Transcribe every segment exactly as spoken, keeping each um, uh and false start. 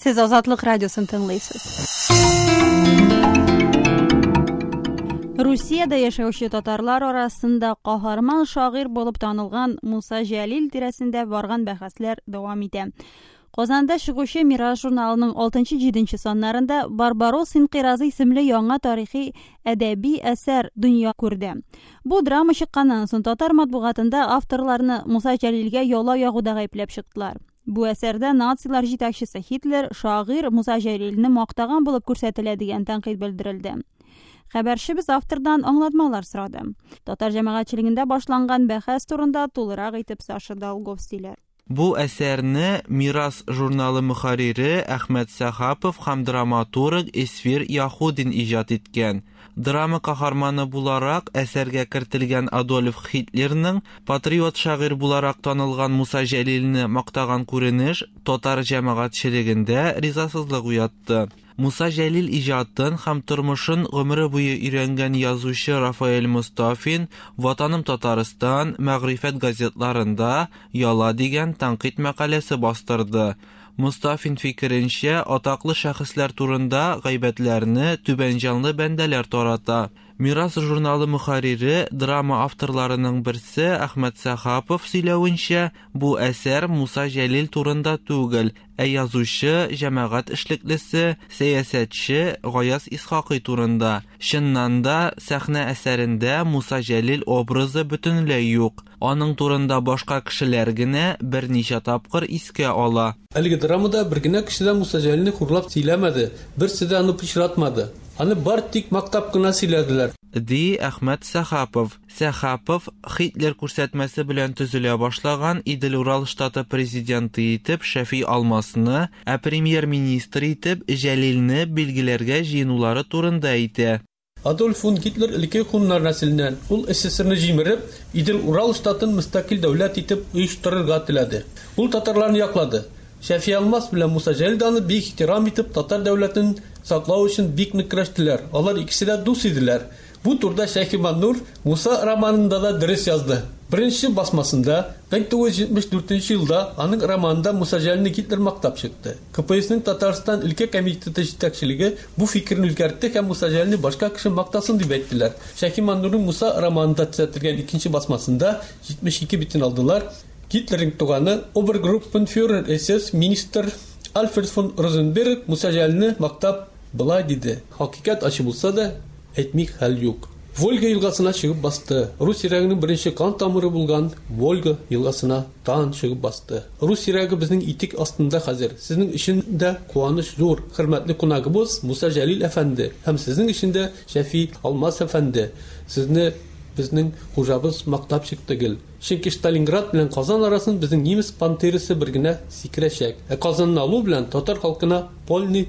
Сез Азатлык радиосын тыңлыйсыз. Русиядә яшәүче татарлар арасында каһарман шагыйрь булып танылган Муса Җәлил тирәсендә барган бәхәсләр дәвам итә. Казанда чыгучы Мирас журналының алтынчы-җиденче саннарында Барбаросс инкыйразы исемле яңа тарихи әдәби әсәр дөнья күрде. Бу драма чыкканнан соң татар матбугатында авторларны Муса Җәлилгә яла ягуда гаепләп чыктылар. Бу әсәрдә нацилар җитәкчесе Һитлер шагыйрь Муса Җәлилне мактаган булып күрсәтелә дигән тәнкыйть белдерелде. Хәбәрчебез автордан аңлатмалар сорады. Татар җәмәгатьчелегендә башланган бәхәс турында тулырак итеп Саша Долгов сөйләр. Бу әсәрне Мирас журналы мөхәррире Әхмәт Сәхапов һәм драматург Эсфир Яһудин иҗат иткән. Драма каһарманы буларак әсәргә кертелгән Адольф Һитлерның патриот шагыйрь буларак танылган Муса Җәлилне мактаган күренеш татар җәмәгатьчелегендә ризасызлык уятты. Муса Җәлил иҗатын һәм тормышын гомере буе өйрәнгән язучы Рафаэль Мостафин «Ватаным Татарстан», «Мәгърифәт» газетларында «Яла» дигән тәнкыйть мәкаләсе бастырды. Мостафин фикеренчә, атаклы шәхесләр турында гайбәтләрне түбән җанлы бәндәләр тарата. Мирас журналы мөхәррире, драма авторларының берсе Әхмәт Сәхапов сөйләвенчә, бу әсәр Муса Җәлил турында түгел, ә язучы, җәмәгать эшлеклесе, сәясәтче Гаяз Исхакый турында. Чыннан да, сәхнә әсәрендә Муса Җәлил образы бөтенләй юк. Аның турында башка кешеләр генә берничә тапкыр искә ала. Әлеге драмада бер генә кеше дә Муса Җәлилне хурлап сөйләмәде, берсе дә аны пычратмады. Аны бар тик мактап кына сөйләделәр. Ди Әхмәт Сәхапов. Сәхапов Һитлер күрсәтмәсе белән төзелә башлаган Идел-Урал штаты президенты итеп Шәфи Алмасны, ә премьер-министр итеп Җәлилне билгеләргә җыенулары турында әйтә. Адольф фон Гитлер элекке хуннар нәселеннән. Ул СССРны җимереп, Идел-Урал штатын мөстәкыйль дәүләт итеп оештырырга теләде. Ул татарларны яклады. Шәфи Алмас белән Муса Җәлил аны бик ихтирам итеп татар дәүләтен саклау өчен бик нык көрәштеләр. Алар икесе дә дус иделәр. Бу турыда Шәйхи Маннур Муса романында да дөрес язды. Беренче басмасында мең тугыз йөз җитмеш дүртенче елда аның романында Муса Җәлилне Гитлер мактап чыкты. КПСның Татарстан өлкә комитеты җитәкчелеге бу фикерне үзгәртте һәм Муса Җәлилне башка кеше мактасын дип әйттеләр. Шәйхи Маннурның Муса романында төзәтелгән икенче басмасында җитмеш ике битен алдылар. Гитлерның туганы обергруппенфюрер СС министр Альфред фон Розенберг Муса Җәлилне мактап былай диде: "Хакыйкать ачы булса да, әйтми хәл юк. Волга елгасына чыгып басты. Рус йөрәгенең беренче кан тамыры булган Волга елгасына тан чыгып басты. Рус йөрәге безнең итек астында хәзер. Сезнең өчен дә куаныч зур, хөрмәтле кунагыбыз Муса Җәлил әфәнде һәм сезнең өчен дә Шәфи Алмас әфәнде. Сезне безнең хуҗабыз мактап чыкты гел. Чөнки Сталинград белән Казан арасын безнең немец пантерасы бер генә сикерәчәк. Ә Казанны алу белән татар халкына полный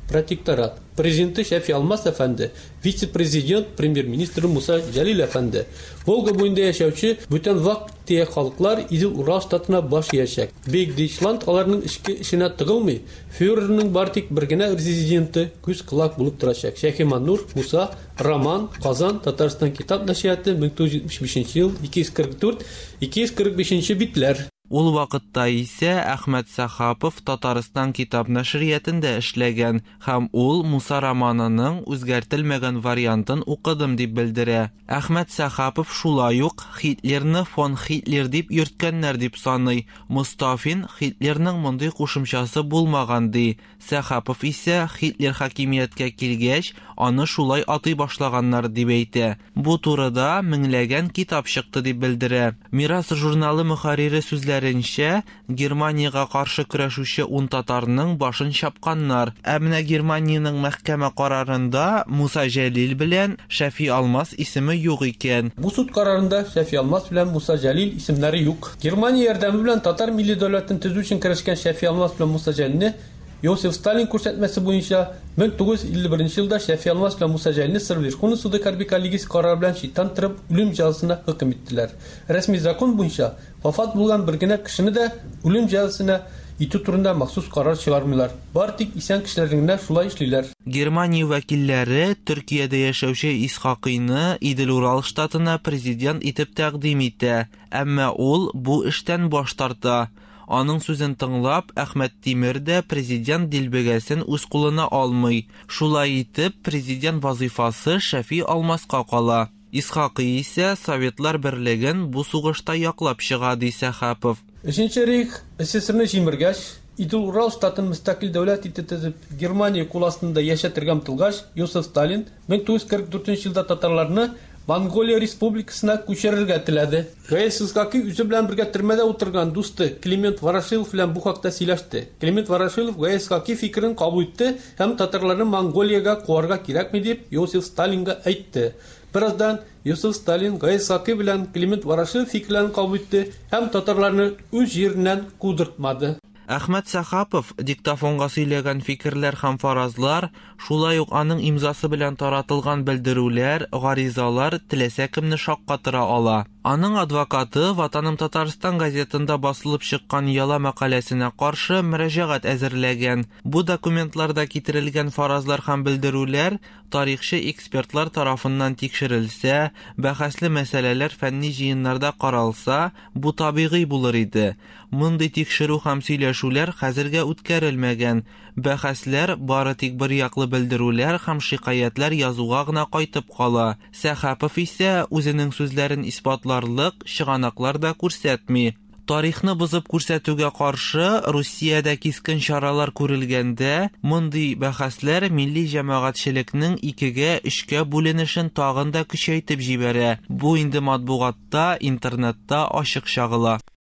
протекторат. Президенты Шәфи Алмас әфәнде, вице-президент, премьер-министр Муса Җәлил әфәнде. Волга буенда яшәүче бүтән вак-төяк халыклар Идел-Урал штатына баш иячәк. Бөек Дейчланд аларның эчке эшенә тыгылмый. Фюрерның бар тик бер генә резиденты күз колак булып торачак. Шәйхи Маннур, Муса, Роман, Казан, Татарстан китап нәшрияты, мең тугыз йөз җитмеш бишенче ел, ике йөз кырык дүрт, ике йөз кырык бишенче битләр. Ул вакытта исә Әхмәт Сәхапов Татарстан китап нәшриятендә эшләгән һәм ул Муса романының үзгәртелмәгән вариантын укыдым дип белдерә. Әхмәт Сәхапов шулай ук Һитлерны фон Һитлер дип йөрткәннәр дип саный. Мостафин Һитлерның мондый кушымчасы булмаган ди. Сәхапов исә Һитлер хакимияткә килгәч, аны шулай атый башлаганнар дип әйтә. Бу турыда меңләгән китап чыкты дип белдерә. Мирас журналы мөхәррире сүзләренчә, Германиягә каршы көрәшүче ун татарның башын чапканнар. Ә менә Германиянең мәхкәмә карарында Муса Җәлил белән Шәфи Алмас исеме юк икән. Бу суд карарында Шәфи Алмас белән Муса Җәлил исемнәре юк. Германия ярдәме белән татар милли дәүләтен төзү өчен көрәшкән Шәфи Алмас белән Муса Җәлилне Йосиф Сталин күрсәтмәсе буенча мең тугыз йөз илле беренче елда Шәфи Алмас белән Муса Җәлилне Сыр Верховный суды хәрби коллегиясе карары белән читтән торып үлем җәзасына хөкем иттеләр. Рәсми закон буенча вафат булган бер генә кешене дә үлем җәзасына итү турында махсус карар чыгармыйлар. Бар тик исән кешеләрне генә шулай эшлиләр. Германия вәкилләре Төркиядә яшәүче Исхакыйны Идел-Урал штатына президент итеп тәкъдим итә, әмма ул бу эштән баш тарта. Аның сүзен тыңлап, Әхмәт Тимер дә президент дилбегәсен үз кулына алмый. Шулай итеп, президент вазифасы Шәфи Алмаска кала. Исхакый исә Советлар Берлеген бу сугышта яклап чыга, ди Сәхапов. Өченче рейх СССРны җимергәч, Идел-Урал штатын мөстәкыйль дәүләт итеп төзеп, Германия кул астында яшәтергә омтылгач, Йосиф Сталин мең тугыз йөз кырык дүртенче елда татарларны Монголия республикасына күчерергә теләде. Гаяз Исхакый үзе белән бергә төрмәдә утырган дусты Климент Ворошилов белән бу хакта сөйләште. Климент Ворошилов Гаяз Исхакый фикерен кабул итте һәм татарларны Монголиягә куарга кирәкми дип Йосиф Сталинга әйтте. Бераздан Йосиф Сталин Гаяз Исхакый белән Климент Ворошилов фикерләрен кабул итте һәм татарларны үз җиреннән кудыртмады. Әхмәт Сәхапов диктофонга сөйләгән фикерләр һәм фаразлар, шулай ук аның имзасы белән таратылган белдерүләр, гаризалар теләсә кемне шаккатыра ала. Аның адвокаты Ватаным Татарстан газетында басылып чыккан яла мәкаләсенә каршы мөрәҗәгать әзерләгән. Бу документларда китерелгән фаразлар һәм белдерүләр тарихчы экспертлар тарафыннан тикшерелсә, бәхәсле мәсьәләләр фәнни җыеннарда каралса, бу табигый булыр иде. Мондый тикшерү һәм сөйләшүләр хәзергә үткәрелмәгән. Бәхәсләр бары тик бер яклы белдерүләр һәм шикаятьләр язуга гына кайтып кала. Сәхапов исә үзенең сүзләрен исбатларлык чыганаклар да күрсәтми. Тарихны бозып күрсәтүгә каршы Русиядә кискен чаралар күрелгәндә, мондый бәхәсләр милли җәмәгатьчелекнең икегә, өчкә бүленешен тагын да көчәйтеп җибәрә. Бу инде матбугатта, интернетта ачык чагыла.